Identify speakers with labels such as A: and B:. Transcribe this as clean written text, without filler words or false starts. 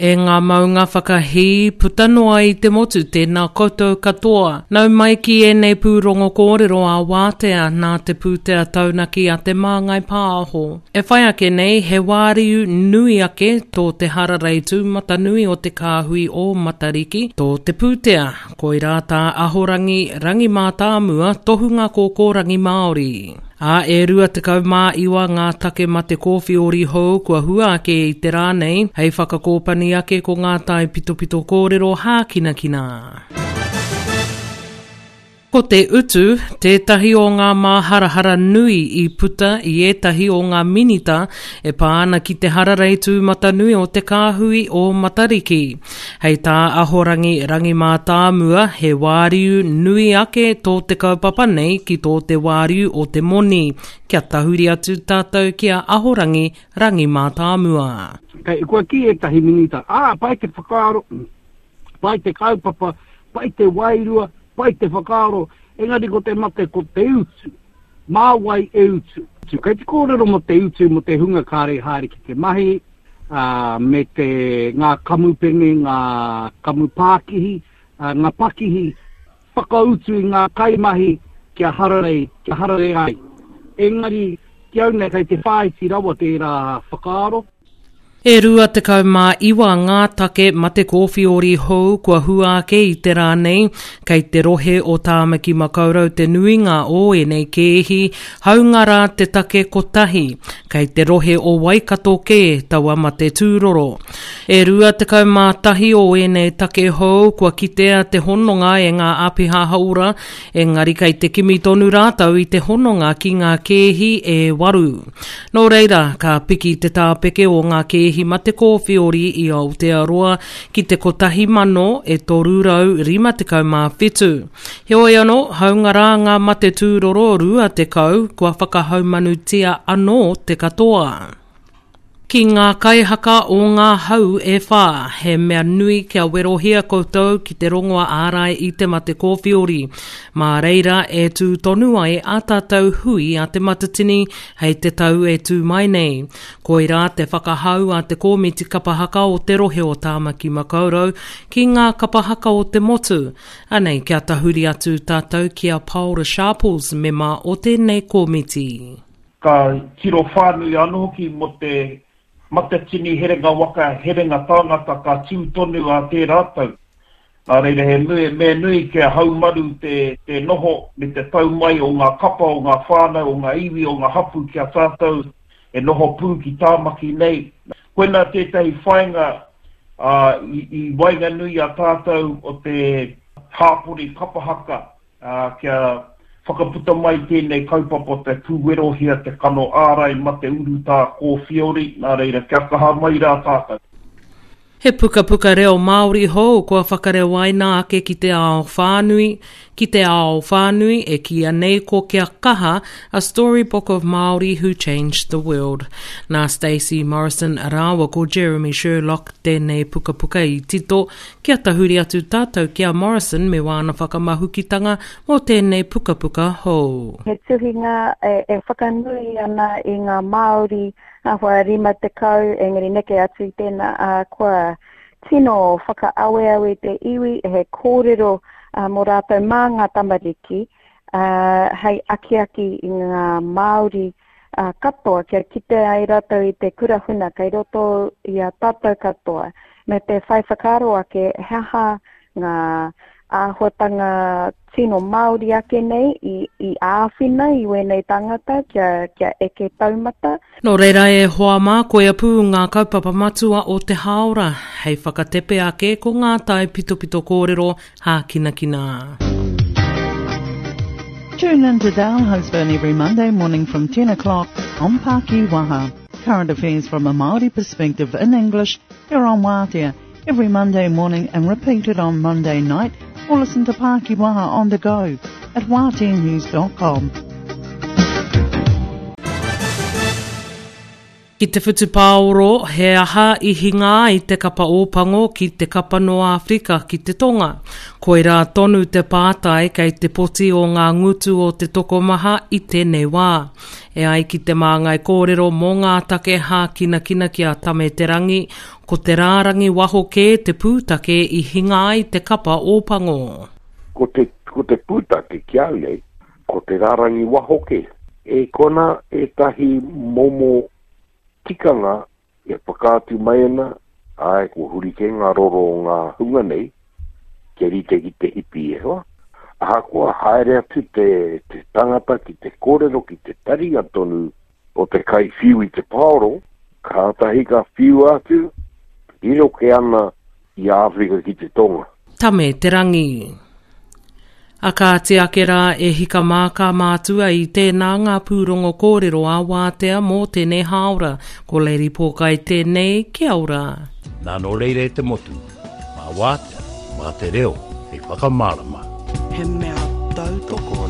A: E ngā maunga whakahī puta noa i te motu tēnā koutou katoa. Nau mai ki ēnei pūrongo kōrero ā wātea nā te pūtea taunaki a Te Māngai Pāho. E whai ake nei he wāriu nui ake tō te hararei tūmatanui o te kāhui o Matariki, tō te pūtea, koirā tā Ahorangi Rangi Mātāmua tohunga kōkōrangi Māori. Ā, e 29 ngā take mate kōwhiori hou kua hua ake i te rā nei, hei whakakōpani ake ko ngā taipitopito kōrero hākinakina. Ko te utu, tētahi o ngā māharahara nui i puta i ētahi o ngā minita e pā ana ki te hararei tūmatanui o te kāhui o Matariki. Hei tā Ahorangi Rangi Mātāmua, he wāriu nui ake tō te kaupapa nei ki tō te wāriu o te moni. Kia tahuri atu tātou ki a Ahorangi Rangi Mātāmua.
B: Kei, kua kī ētahi minita, ā, pai te whakaaro, pai te kaupapa, pai te wairua, pai te whakaaro, engari ko te mate ko te utu. Mā wai e utu? Kei te kōrero mō te utu mō te hunga kāre i haere ki te mahi, ā, me te, ngā kamupene, ngā kamupākihi, ā, ngā pakihi whakautu i ngā kaimahi kia hararei, kia hararei ai. Engari, ki au nei, kei te whāiti rawa tērā whakaaro.
A: E 29 ngā take mate kōwhiori hou kua hua ake i te rā nei, kei te rohe o Tāmaki Makaurau te nuinga o ēnei kēhi, hāunga rā te take kotahi, kei te rohe o Waikato kē taua mate tūroro. E 21 o ēnei take hou kua kitea te hononga e ngā āpiha hauora, engari kei te kimi tonu rātou i te hononga ki ngā kēhi e waru. Nō reira, ka piki te tāpeke o ngā kēhi mate kōwhiori i Aotearoa ki te 1,357. Heoi anō, hāunga rā ngā mate tūroro 20 kua whakahaumanutia anō te katoa. Ki ngā kaihaka o ngā hau e whā, he mea nui kia werohia koutou ki te rongoa ārai i te mate kōwhiori. Mā reira e tū tonu ai ā tātou hui a Te Matatini hei te tau e tū mai nei. Koirā te whakahau a te Kōmiti Kapa Haka o te rohe o Tāmaki Makaurau ki ngā kapa haka o te motu. Anei kia tahuri atu tātou ki a Paora Sharples, mema o tēnei kōmiti.
C: Ka tiro whānui anō hoki mō te Matatini herenga waka, herenga tāngata ka tū tonu ā tērā tau. Nā reira he nui, mea nui kia haumaru te, te noho me te tau mai o ngā kapa, o ngā whānau, o ngā iwi, o ngā hapū ki a tātou e noho pū ki Tāmaki nei. Koinā tētahi whāinga ā, i, i waenganui i a tātou o te hāpori kapa haka ā, kia whakaputa mai tēnei kaupapa o te pūwerohia te kano ārai mate urutā kōwhiori, nā reira, kia kaha mai rā tātou.
A: He pukapuka reo Māori hou kua whakarewaina ake ki te ao whānui, ki te ao whānui e kīia nei ko Kia Kaha, A Storybook of Māori Who Changed the World. Nā Stacey Morrison rāua ko Jeremy Sherlock tēnei pukapuka i tito, Kia tahuri atu tātou ki a Morrison me wāna whakamahukitanga mō tēnei pukapuka hou.
D: He tuhinga e whakanui ana i ngā Māori āhua 50, engari neke atu i tēnā, ā, kua tino whakaaweawe te iwi, he kōrero mō rātou mā ngā tamariki, ā, hei akiaki i ngā Māori katoa kia kite ai rātou i te kura huna kei roto i a tātou katoa, me te whai whakaaro ake he aha ngā āhuatanga tino Māori ake nei i, i āwhina i wēnei tāngata kia, kia eke taumata.
A: Nō reira e hoa mā, koia pū ngā kaupapa matua o te hāora, hei whakatepe ake ko ngā taipitopito kōrero hākinakina.
E: Tune in to Dale Husband every Monday morning from 10 o'clock on Paki Waha. Current affairs from a Māori perspective in English here on Wātea every Monday morning and repeated on Monday night or listen to Paki Waha on the go at wāteanews.com.
A: Ki te whutupaoro, he aha i hinga ai te kapa Ōpango ki te kapa nō Āwherika ki te Tonga? Koirā tonu te pātai kei te poti o ngā ngutu o te tokomaha i tēnei wā. E ai ki te māngai kōrero mō ngā take hākinakina ki a Tame Te Rangi, ko te rārangi waho kē te pūtake i hinga ai te kapa Ōpango.
F: Ko te, ko te pūtake ki au nei, Ko te rārangi waho kē. E kona ētahi momo tikanga e whakaatu mai ana, āe, kua huri kē ngā roro o ngā hunga nei, kia rite ki te hipi e hoa. Ahakoa haere atu te, te tangata ki te kōrero ki te taringa tonu o te kaiwhiu i te paoro, kātahi ka whiua atu, riro kē ana i Āwherika ki te Tonga.
A: Tame te rangi. A kāti ake rā e hika mā ka mātua i tēnā ngā pūrongo kōrero ā wātea mō tēnei hāora. Ko Lady Pōkai tēnei, kia ora.
G: Nā nō reira e te motu, mā wātea, mā te reo hei whakamārama.
H: He mea tautoko.